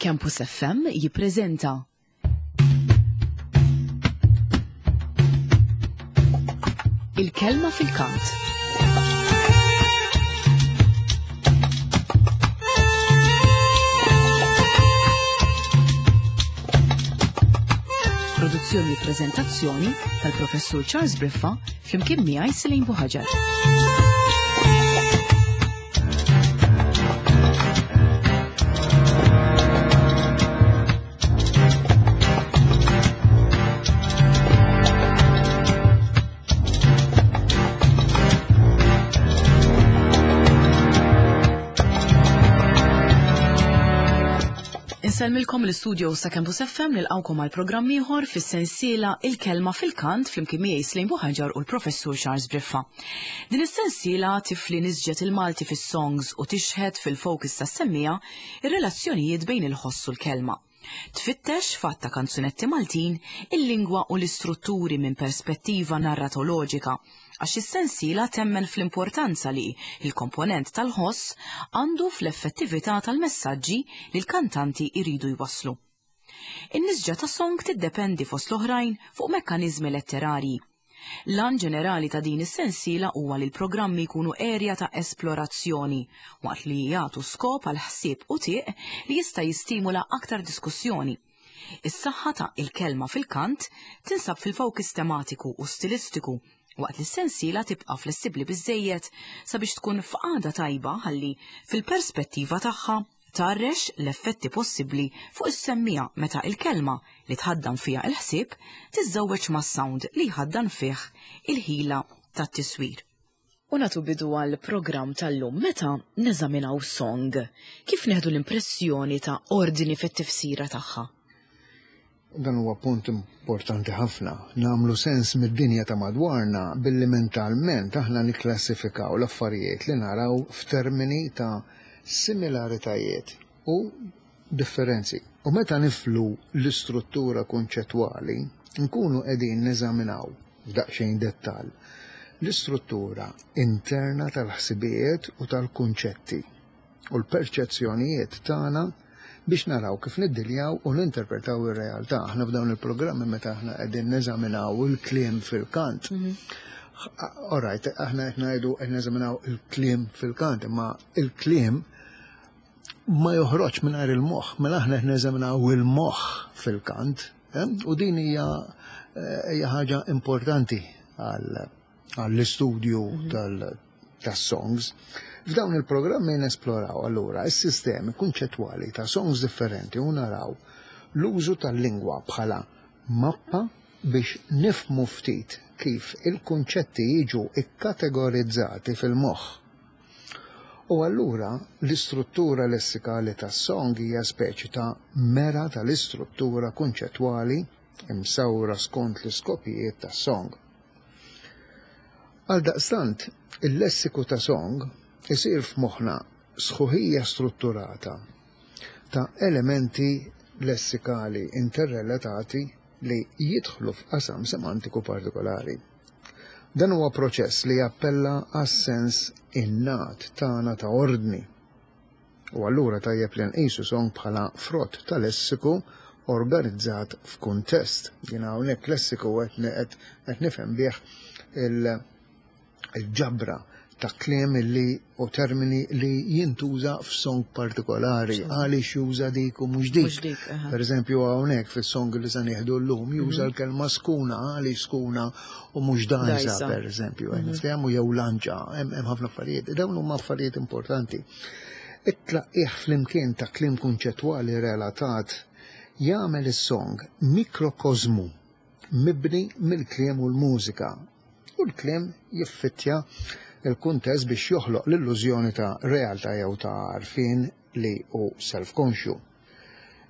Campus FM jippreżenta Il-kelma fil-kant. Produzzjoni u preżentazzjoni tal-Professur Charles Briffa flimkien miegħi Selin Buħaġar. Insellmilkom l-istudio sa Campus FM nilqawkom għal programm ieħor fis-sensiela Il-Kelma fil-Kant flimkien miegħi Slejn Buħaġar u l-Professur Charles Briffa. Din is-sensiela tifli nisġet il-Malti fis-songs u tixħet fil-focus tas-semmiegħa ir-relazzjonijiet bejn il-ħoss u l-kelma. Tfittex f'għadd ta' kanzunetti Maltin il-lingwa u l-istrutturi minn perspettiva narratoloġika għax is-sensiela temmen fl-importanza li l-komponent tal-ħoss għandu fl-effettività tal-messaġġi li l-kantanti jridu jwasslu. In-nisġa ta' song tiddependi fost l-oħrajn fuq mekkaniżmi letterarji. L-għan ġenerali ta' din is-sensiela huwa li l-programmi jkunu erja ta' esplorazzjoni, waqt li jagħtu skop għal ħsieb u tieq li jista' jistimula aktar diskussjoni. Is-saħħa ta' Il-Kelma fil-Kant tinsab fil-fowkis tematiku u stilistiku waqt li s-sensiela tibqa' flessibbli biżżejjed sabiex tkun f'qagħda tajba ħalli fil-perspettiva tagħha tgħarrex l-effetti possibbli fuq is-semmiegħa meta il-kelma li tħaddan fiha il-ħsieb tiżżewweġ mas-sound li jħaddan fih il-ħila tat-tiswir. U nagħtu bidu għall-programm tal-lum meta neżaminaw song, kif neħdu l-impressjoni ta' ordni fit-tifsira tagħha? Dan huwa punt importanti ħafna. Nagħmlu sens mid-dinja ta' madwarna billi mentalment aħna nikklassifikaw l-affarijiet li naraw f'termini ta' similaritajiet u differenzi. U meta niflu l-istruttura kunċettwali, nkunu qegħdin neżaminaw f'daqsxejn dettall l-istruttura interna tal-ħsibijiet u tal-kunċetti u l-perċezzjonijiet tagħna biex naraw kif niddiljaw u ninterpretaw ir-realtà. Aħna f'dawn il-programmi meta aħna qegħdin neżaminaw il-kliem fil-kant. Mhm. Alright, aħna qed ngħidu qed neżaminaw il-kliem fil-kant, imma il-kliem ma joħroġ mingħajr il-moħħ, mela aħna qed neżaminaw il-moħħ fil-kant, eh? u din hija eh, hija ħaġa importanti għall-istudju mhm. tal- tas-songs. F'dawn il-programmi nesploraw allura s-sistemi kunċettwali ta' songs differenti u naraw l-użu tal-lingwa bħala mappa biex nifhmu ftit kif il-kunċetti jiġu kkategorizzati fil-moħħ. U allura l-istruttura lessikali tas-song hija speċi ta' mera tal-istruttura kunċettwali imsawra skont l-iskopijiet tas-song. Għaldaqstant, il-lessiku ta' song isir f'moħħna sħuħija strutturata ta' elementi lessikali interrelatati li jidħlu f'qasam semantiku partikolari. Dan huwa proċess li jappella għas-sens innat tagħna ta' ordni. U allura tajjeb li nqisu song bħala frott ta' lessiku organizzat f'kuntest. Jiena hawnhekk lessiku qed nifhem bih il-ġabra ta' kliem li u termini li jintuża f'song partikolari, għaliex juża dik u mhux dik. Per eżempju hawnhekk fis-song li se nieħdu llum juża mhm. l-kelma skuna għaliex skuna u mhux dajsa per eżempju, mhm. niftehmu jew lanċa, hemm ħafna affarijiet. Dawn huma affarijiet importanti. It-tlaqqigħ flimkien ta' kliem kunċettwali relatat jagħmel is-song mikrokożmu mibni mill-kliem u l-mużika, u l-kliem jiffittja l-kuntest biex joħloq l-illużjoni ta' realtà jew ta' għarfien li hu self-konxju.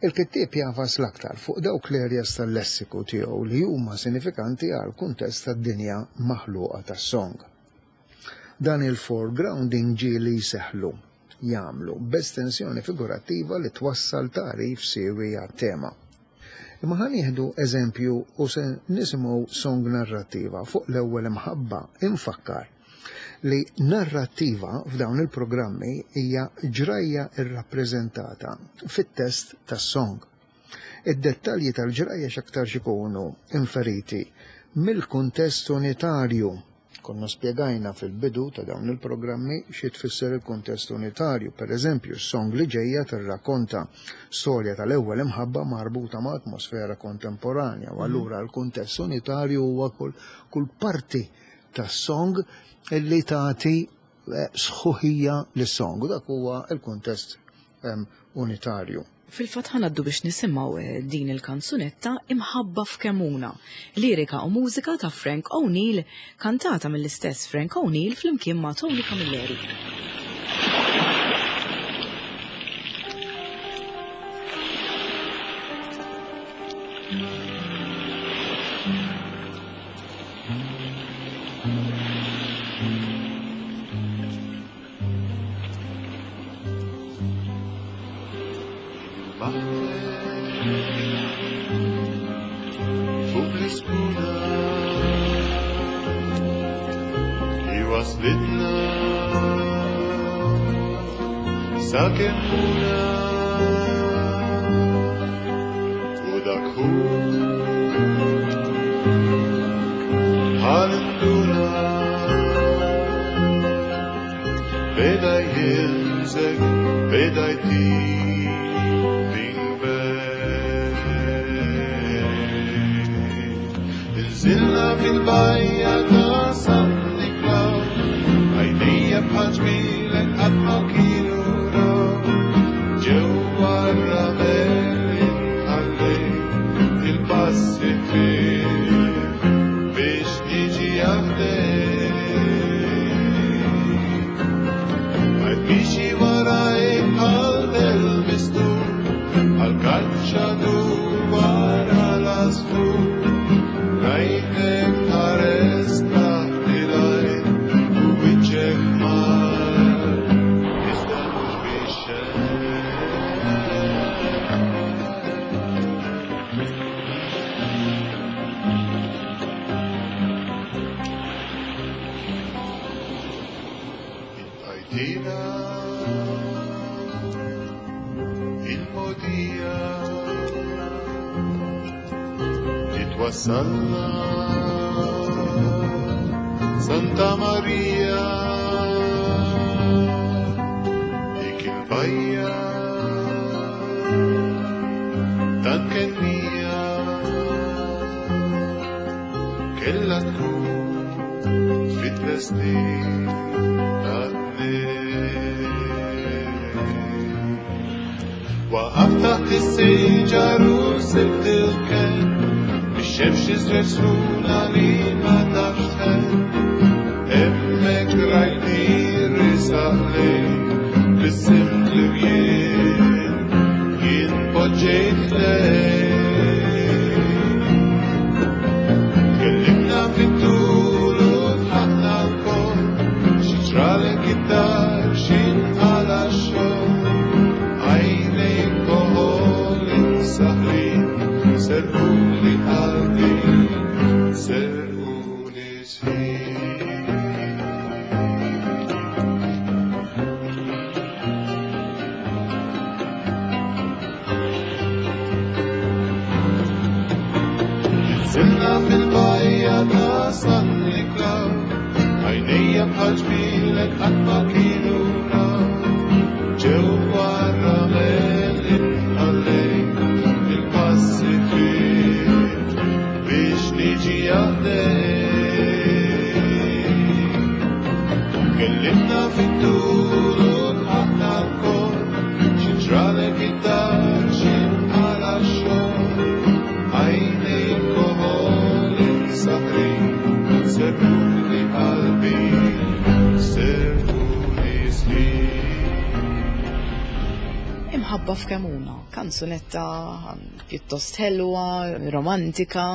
Il-kittieb jagħfas l-aktar fuq dawk l-areas tal-lessiku tiegħu li huma sinifikanti għall-kuntest tad-dinja maħluqa tas-song. Dan il-foregrounding ġieli jseħħlu jagħmlu b'estensjoni figurattiva li twassal tagħrif siewi għat-tema. Imma ħa nieħdu eżempju u se nisimgħu song narrattiva fuq l-ewwel imħabba, infakkar. li narrattiva f'dawn il-programmi hija ġrajja rrappreżentata fit-test tas-song. Id-dettalji tal-ġrajja x'aktarx ikunu inferiti mill-kuntest unitarju. Konna spjegajna fil-bidu ta' dawn il-programmi xi tfisser il-kuntest unitarju. Per eżempju, s-song li ġejja tirrakkonta storja tal-ewwel imħabba marbuta ma' atmosfera kontemporanja u allura l-kuntest unitarju huwa kull, kull parti tas-song li tagħti eh, sħuħija lis-song u dak huwa l-kuntest unitarju. Fil-fatt ħa ngħaddu biex nisimgħu eh, din il-kanzunetta Imħabba f'Kemuna, lirika u mużika ta' Frank O'Neill, kantata mill-istess Frank O'Neill flimkien ma' Tony Camilleri. Beda jilzek, beda Nżilna fil-bajja ta' San Niklaw, għajnejja bħal ġmielek qatt ma kienu raw. Ġewwa r-ramel inħallejt il-passi ħfief biex niġi għaħdejk. Għajt miexi warajk bħal del mistur, bħal kaċċatur wara l-għasfur. Rajtek tħares taħt il-għajn u wiċċek ħmar, iżda mhux bix-xejn. Ibqajtina il-mogħdija li twassalna Santa Maria dik il-bajja tant kennija kellha tkun fit-tlestin tat-tnejn. Waqaft taħt is-siġar u sibt il-kenn, mix-xemx iżreġ sħuna li ma tafx tħenn. Hemmhekk rajtni risaq lejk, bissimt li jien, jien poġġejt ħdejk. Tkellimna fit-tul u dħakna lkoll, xi ġralek id-dar, xi nqala' x-xogħol. Għajnejk koħol imsaħħrin, serquli qalbi, serquli sħiħ. Nżilna fil-bajja ta' San Niklaw, għajnejja bħal ġmielek qatt ma kienu raw. Ġewwa r-ramel inħallejt il-passi ħfief biex niġi għaddej. Tkellimna fit-tul u dħakna lkoll, xi ġralek id-dar, xi nqala' x-xogħol. Għajnejk koħol imsaħħrin, serquli qalbi, serquli sħiħ. Imħabba f'Kemuna, kanzunetta pjuttost ħelwa, romantika,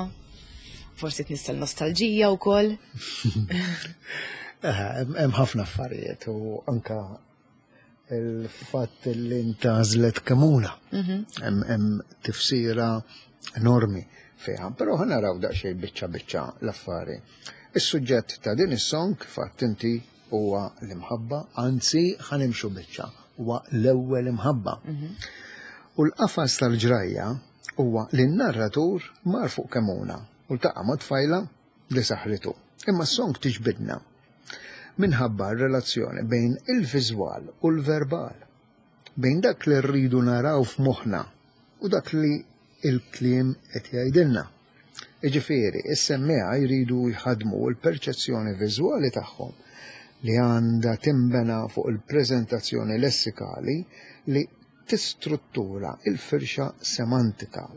forsi tnissel nostalġija wkoll. Hemm ħafna affarijiet u anka il-fatt li ntgħażlet Kemuna. Hemm tifsira enormi fiha, però ħa naraw daqsxejn biċċa biċċa l-affari. Is-suġġett ta' din is-song, fatt inti huwa l-imħabba, anzi ħa nimxu biċċa, huwa l-ewwel imħabba. U l-qafas tal-ġrajja huwa li n-narratur mar fuq Kemuna u ltaqa' ma' tfajla li saħritu. Imma s-song tiġbidna minħabba r-relazzjoni bejn il-viżwal u l-verbal, bejn dak li rridu naraw f'moħħna u dak li l-kliem qed jgħidilna. Jiġifieri, is-semmiegħa jridu jħaddmu l-perċezzjoni viżwali tagħhom li għandha tinbena fuq il-preżentazzjoni lessikali li tistruttura l-firxa semantika.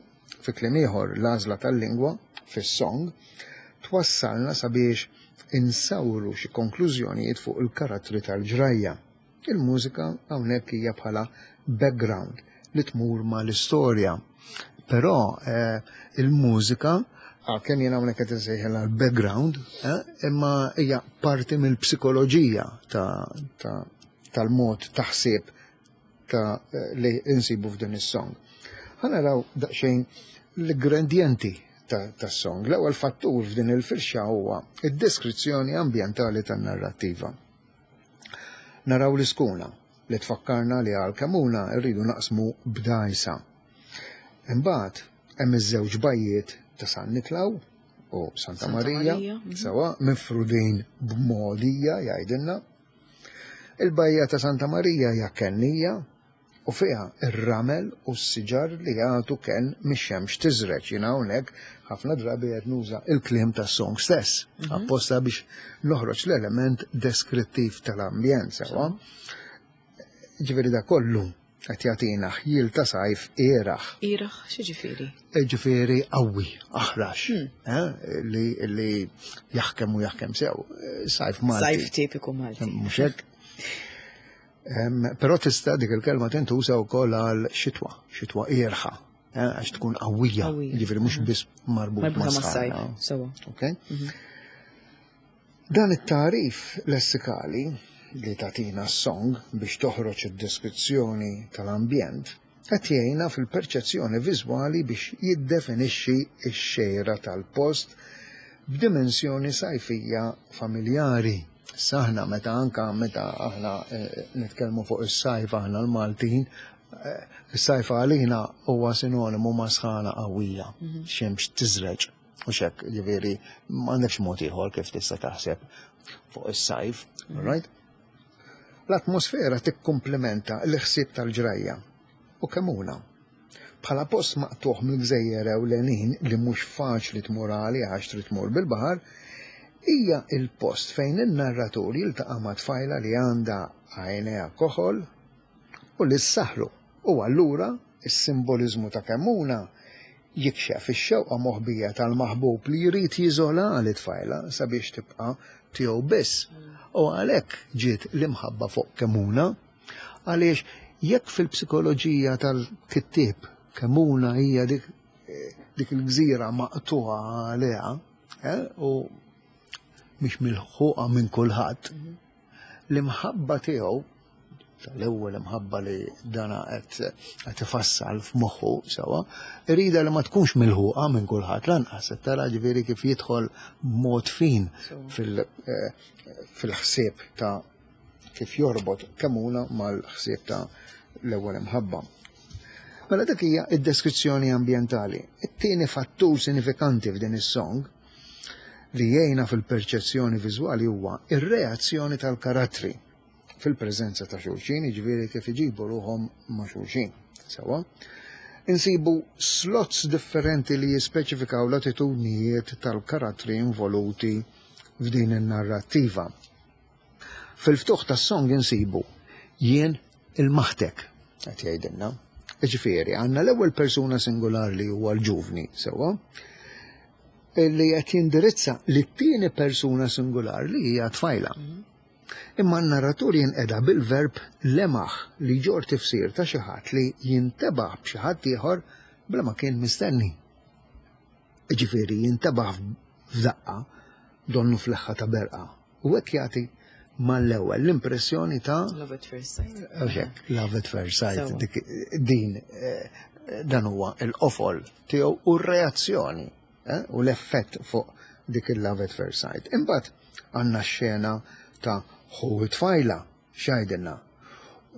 Fi kliem ieħor, l-għażla tal-lingwa fis-song twassalna sabiex insawru xi konklużjonijiet fuq il-karattri tal-ġrajja. Il-mużika hawnhekk hija bħala background li tmur mal-istorja. Però eh, il-mużika għalkemm jien hawnhekk qed insejħilha l-background, eh, imma hija parti mill-psikoloġija tal-mod ta' ħsieb ta' eh, li insibu f'din is-song. Ħa naraw daqsxejn l-ingredienti tas-song. L-ewwel fattur f'din il-firxa huwa id-deskrizzjoni ambjentali tan-narrattiva. Naraw l-iskuna li tfakkarna li għal Kemuna rridu naqsmu b'dgħajsa. Imbagħad hemm iż-żewġ bajjiet ta' San Niklaw u Santa Marija, sewa mifrudin b'mogħdija jgħidilna. Il-bajja ta' Santa Marija hija kennija u fiha r-ramel u s-siġar li jagħtu kenn mix-xemx tiżreġ. Jiena hawnhekk ħafna drabi qed nuża l-kliem tas-song stess, mhm. apposta biex noħroġ l-element deskrittiv tal-ambjent sewwa. Ġifieri da kollu qed jagħtina ħjiel ta' sajf ieraħ. Ieraħ x'ġifieri? Ġifieri qawwi, aħrax, hmm. eh, li, li jaħkem u jaħkem sew. Sajf Malti. Sajf tipiku Malti. Mhux hekk? Però tista' dik il-kelma tintuża wkoll għal xitwa, xitwa ierħa, eh, għax tkun qawwija, jiġifieri mhux mhm. biss marbut ma' sajf. Sewa. Okay? Mhm. Dan it-tagħrif lessikali li tagħtina s-song biex toħroġ id-deskrizzjoni tal-ambjent qed jgħinna fil-perċezzjoni viżwali biex jiddefinixxi x-xejra tal-post b'dimensjoni sajfija familjari. Issa aħna meta anka meta aħna eh, nitkellmu fuq is-sajf aħna l-Maltin, eh, is-sajf għalina huwa sinonimu ma' sħana qawwija, mhm. xemx tiżreġ. U xek, ġifieri, m'għandekx mod ieħor kif tista' taħseb fuq is-sajf, mhm. right? L-atmosfera tikkumplimenta l-ħsieb tal-ġrajja u Kemmuna. Bħala post maqtugħ mill-gżejjer ewlenin li mhux faċli tmur għalih għax trid tmur bil-baħar, hija l-post fejn in-narratur jiltaqa' ma' tfajla li għandha għajnejha koħol u li ssaħħru u allura s-simboliżmu ta' Kemmuna jikxef ix-xewqa moħbija tal-maħbub li jrid jiżola lit-tfajla sabiex tibqa' tiegħu biss. U għalhekk ġiet l-imħabba fuq Kemmuna, għaliex jekk fil-psikoloġija tal-kittieb Kemmuna hija dik, dik il-gżira maqtugħa għaliha eh, u mhix milħuqa minn kulħadd, l-imħabba tiegħu tal-ewwel imħabba li dana qed qed ifassal f'moħħu sewwa, irida li ma tkunx milħuqa minn kulħadd lanqas qed tara ġifieri kif jidħol b'mod fin eh, fil-ħsieb ta' kif jorbot Kemuna mal-ħsieb ta' l-ewwel imħabba. Mela dik hija id-deskrizzjoni ambjentali. It-tieni fattur sinifikanti f'din is-song li jgħinna fil-perċezzjoni viżwali huwa ir-reazzjoni tal-karattri fil-preżenza ta' xulxin, jiġifieri kif iġibu ruħhom ma' xulxin. Sewa. Insibu slots differenti li jispeċifikaw l-attitudnijiet tal-karattri involuti f'din in-narrattiva. Fil-ftuħ tas-song insibu jien il-maħtek, qed jgħidilna. Ġifieri, għandna l-ewwel persuna singular li huwa l-ġuvni, sewwa, li qed jindirizza lit-tieni persuna singular li hija tfajla. Imma n-narratur jinqeda bil-verb lemaħ li jġorr tifsir ta' xi ħadd li jintebaħ b'xi ħadd ieħor bla ma kien mistenni. Jiġifieri jintebaħ f'daqqa donnu f'leħħa ta' berqa u hekk jagħti mal-ewwel l-impressjoni ta' Love at first sight. Hekk, love at first sight. Dik din eh, dan huwa l-qofol tiegħu u r-reazzjoni eh, u l-effett fuq dik il-love at first sight. Imbagħad għandna x-xena ta' Ħu t-tfajla, x'jgħidilna?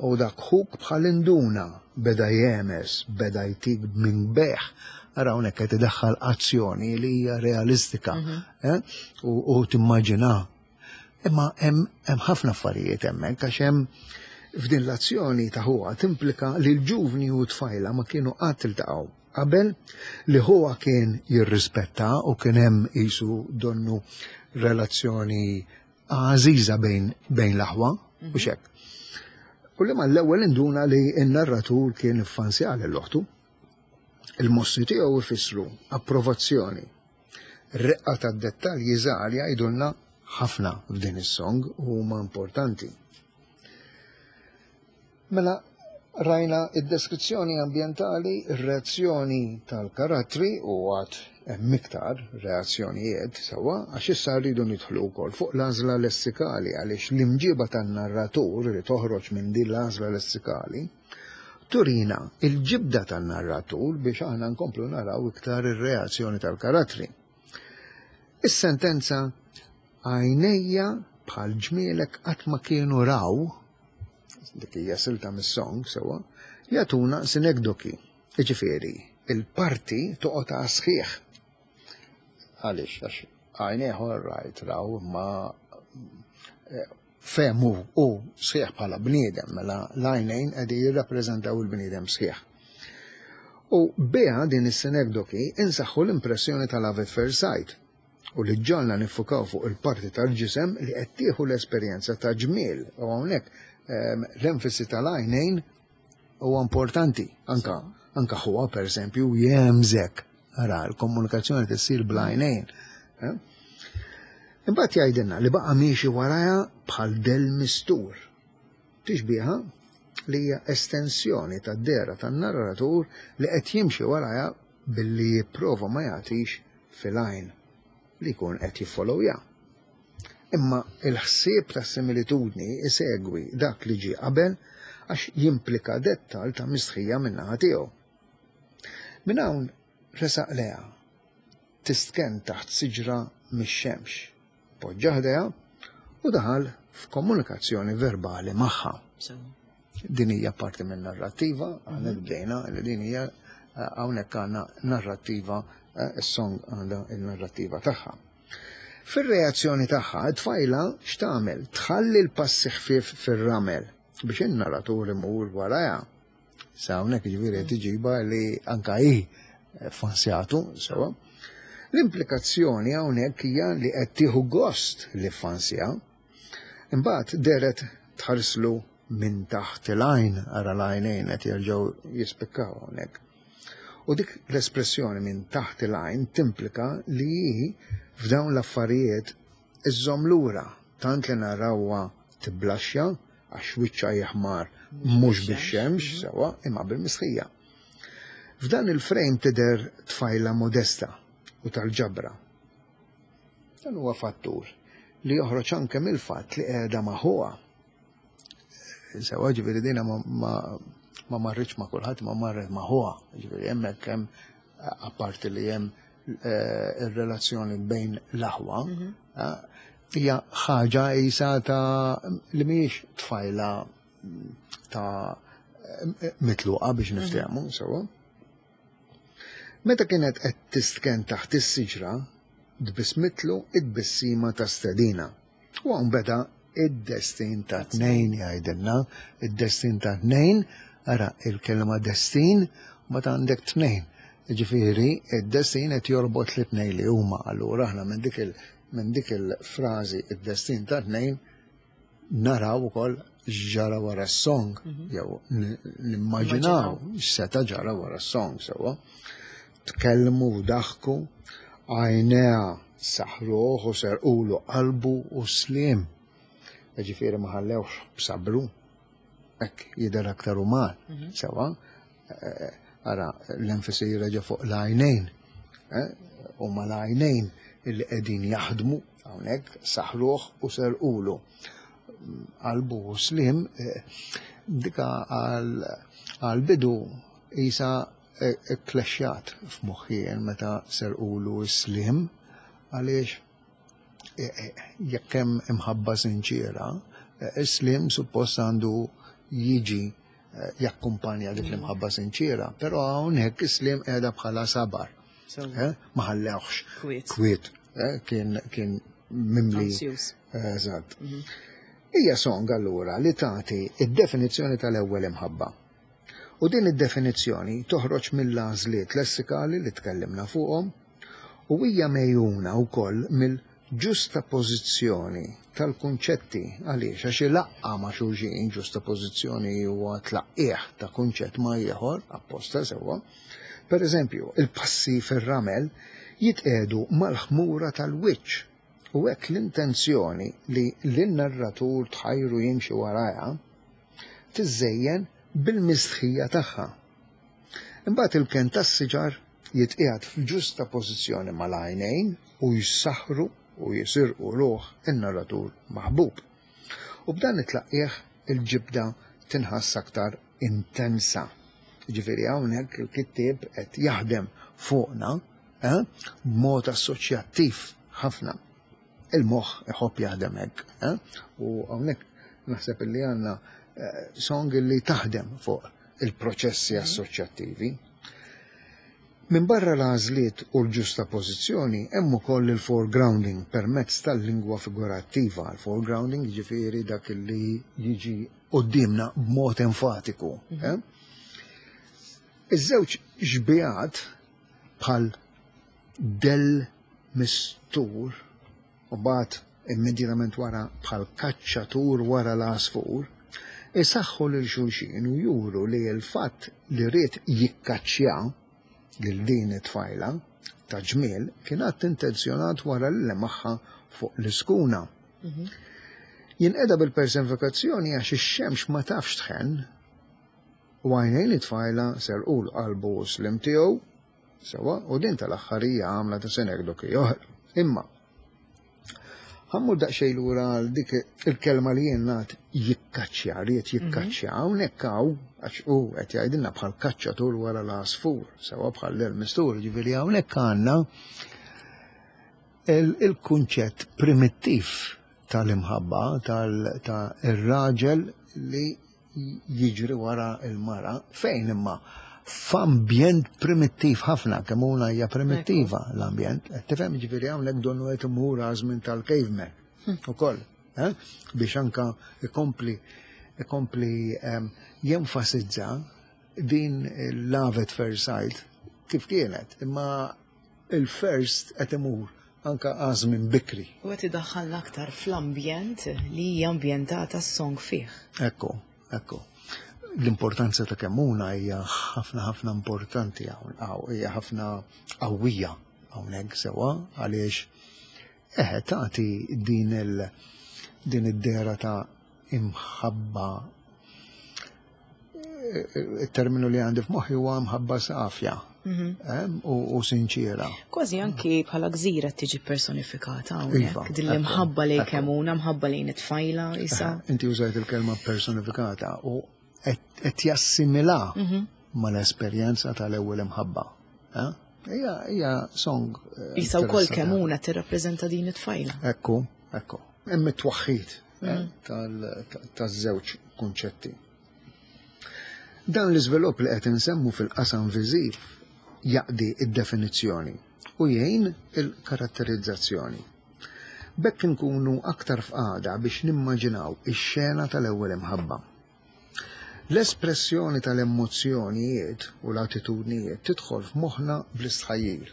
U dak ħuk bħal induna beda jehmes, beda jtik minn beħ. Ara hawnhekk qed idaħħal azzjoni li hija realistika mhm. eh? u timmaġina. Imma hemm ħafna affarijiet hemmhekk għax hemm f'din l-azzjoni ta' ħuha timplika li l-ġuvni u tfajla ma kienu qatt iltaqgħu qabel li ħuha kien jirrispetta u kien hemm qisu donnu relazzjoni għażiża bejn, bejn l-aħwa, u mhm. xek. U li mal-ewwel induna li n-narratur kien iffansja lil oħtu. Il-mossi tiegħu ifissru approvazzjoni. Reqqa tad-dettalji żgħar jgħidulna ħafna f'din is-song u huma importanti. Mela rajna id-deskrizzjoni ambjentali, ir-reazzjoni tal-karattri u għad hemm iktar reazzjonijiet sewwa għax issa rridu nidħlu wkoll fuq l-għażla lessikali għaliex l-imġiba tan-narratur li toħroġ minn din l-għażla lessikali turina il-ġibda tan-narratur biex aħna nkomplu naraw iktar ir-reazzjoni tal-karattri. Is-sentenza għajnejja bħal ġmielek qatt ma kienu raw dik hija silta mis-song sewwa, jagħtuna sinekdoki. Jiġifieri, il-parti toqgħod sħiħ. Għaliex, għax għajnejh rajt raw imma eh, fehmu u sħiħ bħala bniedem, mela l-għajnejn qegħdin jirrappreżentaw il-bniedem sħiħ. U biha din is-sinekdoki insaħħu l-impressjoni tal-love at first sight u li ġġagħalna niffukaw fuq il-parti tal-ġisem li qed tieħu l-esperjenza ta' ġmiel u hawnhekk ehm, l-enfasi tal-għajnejn huwa importanti anka anka ħuha pereżempju jemżek ara l-komunikazzjoni tissir bl-għajnejn. Eh? Imbagħad jgħidilna li baqa' miexi warajha bħal del mistur. Tixbiha li hija estensjoni tad-dehra tan-narratur li qed jimxi warajha billi jipprova ma jagħtix fil-għajn li jkun qed jiffollowja. Imma il-ħsieb ta' similitudni isegwi dak li ġie qabel għax jimplika dettal ta' mistħija min-naħa tiegħu. Minn hawn resaq lejha tistkenn taħt siġra mix-xemx. Poġġa ħdejha u daħal f'komunikazzjoni verbali magħha. Din hija parti minn narrattiva, aħna mhm. bdejna li din hija eh, hawnhekk għandna narrattiva, eh, is-song għandha il-narrattiva tagħha. Fir-reazzjoni tagħha, it-tfajla x'tagħmel? Tħalli l-passi ħfief fir-ramel biex in-narratur imur warajha. Sa hawnhekk jiġifieri qed iġibha li anka hi fansjatu, sewa. L-implikazzjoni hawnhekk hija li qed tieħu gost li fansja. Imbagħad deret tħarslu minn taħt il-għajn, ara l-għajnejn qed jerġgħu jispikkaw hawnhekk. U dik l-espressjoni minn taħt il-għajn timplika li hi f'dawn l-affarijiet iżżomm lura tant li narawha tiblaxxa għax wiċċha jeħmar mhux bix-xemx mhm. sewwa imma bil-mistħija. F'dan il-frame tidher tfajla modesta u tal-ġabra. Dan huwa fattur li joħroġ anke mill-fatt li qiegħda ma' ħuha. Sewa ġifieri dina ma, ma, ma marritx ma' kulħadd ma marret ma' ħuha. Ġifieri hemmhekk hemm apparti li hemm eh, ir-relazzjoni bejn l-aħwa, mhm. eh, hija ħaġa isa ta' li mhijiex tfajla ta' mitluqa biex mhm. niftehmu sewa. Meta kienet qed tistken taħt is-siġra, tbissmitlu it-tbissima ta' stedina. U hawn beda id-destin ta' tnejn jgħidilna, id-destin ta' tnejn, ara il-kelma destin, ma ta' għandek tnejn. Ġifieri, id-destin qed jorbot li tnejn li huma. Allura aħna minn dik il minn dik il-frażi id-destin ta' tnejn naraw ukoll x'ġara wara s-song, mhm. jew nimmaġinaw x'seta' ġara wara s-song sewwa. Tkellmu u daħku, għajnejha saħruh u serqulu qalbu u sliem. Ġifieri ma ħallewx b'sabru, hekk jidher aktar uman, mhm. sewwa. Eh, ara, l-enfasi reġa' fuq l-għajnejn. Eh, u ma l-għajnejn illi qegħdin jaħdmu hawnhekk saħruh u serqulu. Qalbu u slim, eh, dika għal-bidu isa Ikklexxjat f'moħħi jien meta serqulu s-sliem għaliex jekk hemm imħabba sinċiera, Is-sliem suppost għandu jiġi jakkumpanja dik l-imħabba sinċiera, però hawnhekk is-sliem qiegħda bħala sabar. Ma ħallewx. Kwiet. Kien kien mimli. Eżatt. Hija song allura li tagħti id-definizzjoni tal-ewwel imħabba. U din id-definizzjoni toħroġ mill-għażliet lessikali li tkellimna fuqhom u hija megħjuna wkoll mill-ġustapożizzjoni tal-kunċetti. Għaliex? Għax ilaqqa' ma' xulxin, ġustapożizzjoni huwa tlaqqigħ ta' kunċett ma' ieħor, apposta sewwa. Pereżempju, il-passi fir-ramel jitqiegħdu mal-ħmura tal-wiċċ u hekk l-intenzjoni li lin-narratur tħajru jimxi warajha tiżżejjen bil-mistħija tagħha. Imbagħad il-kenn tas-siġar jitqiegħed f'ġusta pożizzjoni mal-għajnejn u jsaħħru u jisirqu ruħ in-narratur maħbub. U b'dan it-tlaqqigħ il-ġibda tinħass aktar intensa. Jiġifieri hawnhekk il-kittieb qed jaħdem fuqna eh, b'mod assoċjattiv ħafna. Il-moħħ iħobb jaħdem hekk. Eh? U hawnhekk naħseb illi għandna eh, song li taħdem fuq il-proċessi assoċjattivi. Minn barra l-għażliet u l-ġusta pożizzjoni hemm ukoll il-foregrounding permezz tal-lingwa figurattiva. Il-foregrounding jiġifieri dak li jiġi quddiemna b'mod enfatiku. Eh? Iż-żewġ xbihat bħal dell mistur u mbagħad immedjatament wara bħal kaċċatur wara l-għasfur, isaħħu lil xulxin u juru li l-fatt li ried jikkaċċja lil din it-tfajla ta' ġmiel kien att intenzjonat wara li lemaħha fuq l-iskuna. Jinqeda bil-personifikazzjoni għax ix-xemx ma tafx tħenn u għajnejn it-tfajla serqulu qalbu u s-sliem tiegħu. Sewwa, u din tal-aħħar hija għamla ta' sinekdoki oħra. Imma, ħammur daqsxejn lura għal dik il-kelma li jien ngħad jikkaċċja, ried jikkaċċja. Hawnhekk hawn, għax hu qed jgħidilna bħal kaċċatur wara l-għasfur, sewwa bħal l-mistur, ġifieri hawnhekk għandna il-kunċett primittiv tal-imħabba tal-raġel li jiġri wara l-mara, fejn imma f'ambjent primittiv ħafna, kemm una hija primittiva l-ambjent, qed tifhem ġifieri hawnhekk donnu qed imur għażmin tal-caveman ukoll, eh? biex anka ikompli ikompli ehm, jenfasizza din il-love at first sight kif kienet, imma il-first qed imur anka għażmin bikri. U qed idaħħalna aktar fl-ambjent li hija ambjentata s-song fih. Ekku, ekku. L-importanza ta' Kemmuna hija ħafna ħafna importanti hawn, hija ħafna qawwija hawnhekk sewwa għaliex eħe tagħti din il din id-dehra ta' imħabba il-terminu li għandi f'moħħi huwa mħabba safja u sinċiera. Kważi anki bħala gżira tiġi personifikata hawnhekk. Iva, din l-imħabba lejn Kemuna, mħabba lejn it-tfajla isa. Inti użajt il-kelma personifikata u qed jassimila mal-esperjenza tal-ewwel imħabba. Hija song. Isa wkoll Kemuna tirrappreżenta din it-tfajla. Ekku, ekku. Hemm it-twaħħid taż-żewġ kunċetti. Dan l-iżvilupp li qed insemmu fil-qasam viżiv jaqdi d-definizzjoni u jgħin il-karatterizzazzjoni. B'hekk inkunu aktar f'qagħda biex nimmaġinaw ix-xena tal-ewwel imħabba. L-espressjoni tal-emozzjonijiet u l-attitudnijiet tidħol f'moħħna bl-istħajjil.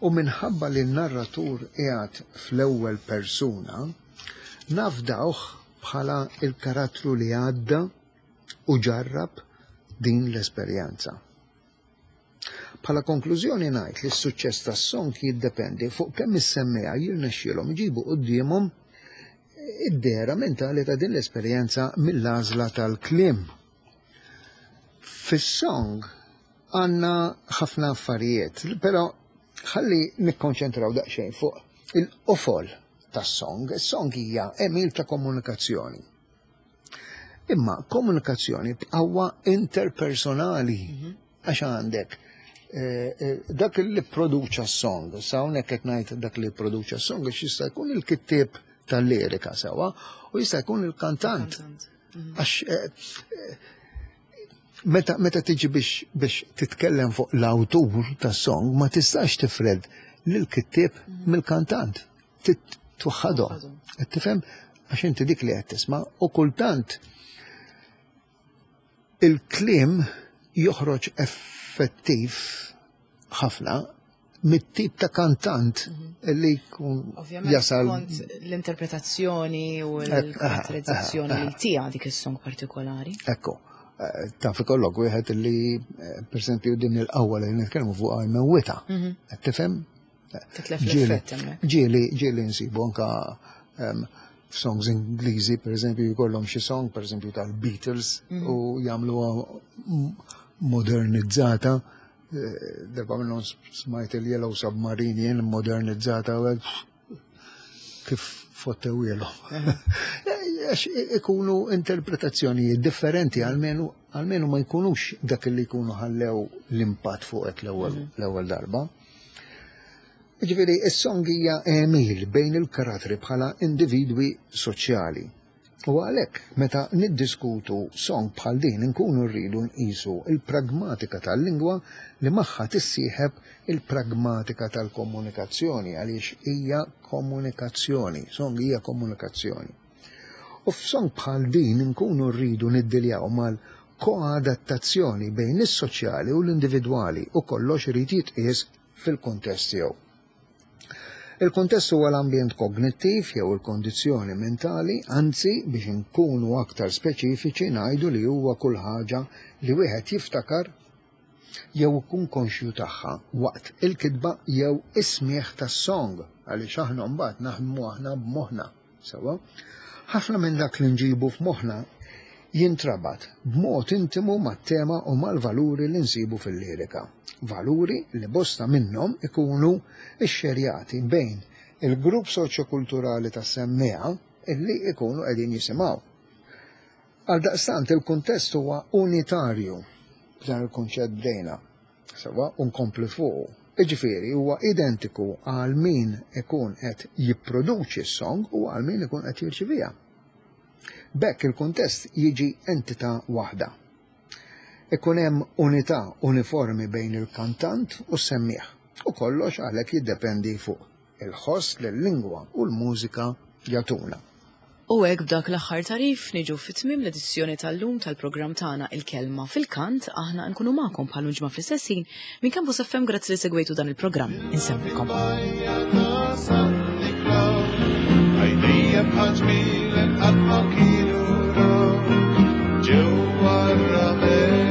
U minħabba li n-narratur qiegħed fl-ewwel persuna, nafdawh bħala l-karattru li għadda u ġarrab din l-esperjenza. Bħala konklużjoni ngħid li s-suċċess tas-song jiddependi fuq kemm is-semmiegħa jirnexxielhom iġibu quddiemhom id-dehra mentali ta' din l-esperjenza mill-għażla tal-kliem. Fis-song għandna ħafna affarijiet, però ħalli nikkonċentraw daqsxejn fuq il-qofol tas-song. Is-song hija għemil ta' komunikazzjoni. Imma komunikazzjoni b'qawwa interpersonali. Għax għandek eh, eh, dak li produċa s-song, sa hawnhekk qed ngħid dak li produċa s-song għax jista' jkun il-kittieb tal-lirika sewwa u jista' jkun il-kantant. Għax meta tiġi biex titkellem fuq l-awtur tas-song ma tistax tifred lill-kittieb mill-kantant. Twaħħadhom. Qed tifhem? Għax inti dik li qed tisma' u kultant il-kliem joħroġ effettiv ħafna mit-tip ta' kantant li jkun jasal. L-interpretazzjoni u l-karatterizzazzjoni li tija dik is-song partikolari. Ekku, taf ikollok wieħed li per esempio din il-qawwa li nitkellmu fuq għal mewwita. Qed tifhem? Titlef l-effett hemmhekk. Ġieli nsibu anka f'songs Ingliżi, per eżempju, jkollhom xi song, per eżempju, tal-Beatles u jagħmluha modernizzata. Darba minnhom smajt il-Yellow Submarine jien modernizzata u hekk kif fottewielhom. Għax ikunu interpretazzjonijiet differenti, almenu ma jkunux dak li jkunu ħallew l-impatt fuqek l-ewwel darba. Jiġifieri, is-song hija għemil bejn il-karattri bħala individwi soċjali. U għalhekk, meta niddiskutu song bħal din inkunu rridu nqisu l-pragmatika tal-lingwa li magħha tissieħeb il-pragmatika tal-komunikazzjoni għaliex hija komunikazzjoni, song hija komunikazzjoni. U f'song bħal din inkunu rridu niddiljaw mal-koadattazzjoni bejn is-soċjali u l-individwali u kollox irid jitqies fil-kuntest tiegħu. Il-kuntest huwa l-ambjent kognittiv jew il-kondizzjoni mentali, anzi biex inkunu aktar speċifiċi ngħidu li huwa kull ħaġa li wieħed jiftakar jew ikun konxju tagħha waqt il-kitba jew is-smigħ tas-song, għaliex aħna mbagħad naħdmu aħna b'moħħna. Sewwa? Ħafna minn dak li nġibu f'moħħna jintrabat b'mod intimu mat-tema u mal-valuri li nsibu fil-lirika. Valuri li bosta minnhom ikunu xxerjati bejn il-grupp soċjokulturali tas-semmiegħa illi jkunu qegħdin jisimgħu. Għaldaqstant il-kuntest huwa unitarju, b'dan il-kunċett bdejna. Sewwa, u nkompli fuqu. Jiġifieri huwa identiku għal min ikun qed jipproduċi s-song u għal min ikun qed jirċiviha. B'hekk il-kuntest jiġi entità waħda. Ikun hemm unità uniformi bejn il-kantant u s-semmiegħ, u kollox għalhekk jiddependi fuq il-ħoss li l-lingwa u l-mużika jagħtuna. U hekk b'dak l-aħħar tagħrif niġu fi tmiem l-edizzjoni tal-lum tal-programm tagħna Il-Kelma fil-Kant. Aħna nkunu magħkom bħal ġimgħa fl-istess ħin minn Campus FM. Grazzi li segwejtu dan il-programm. Insemmilkom. Għajnejja bħal ġmielek qatt ma kienu raw ġewwa r-ramel.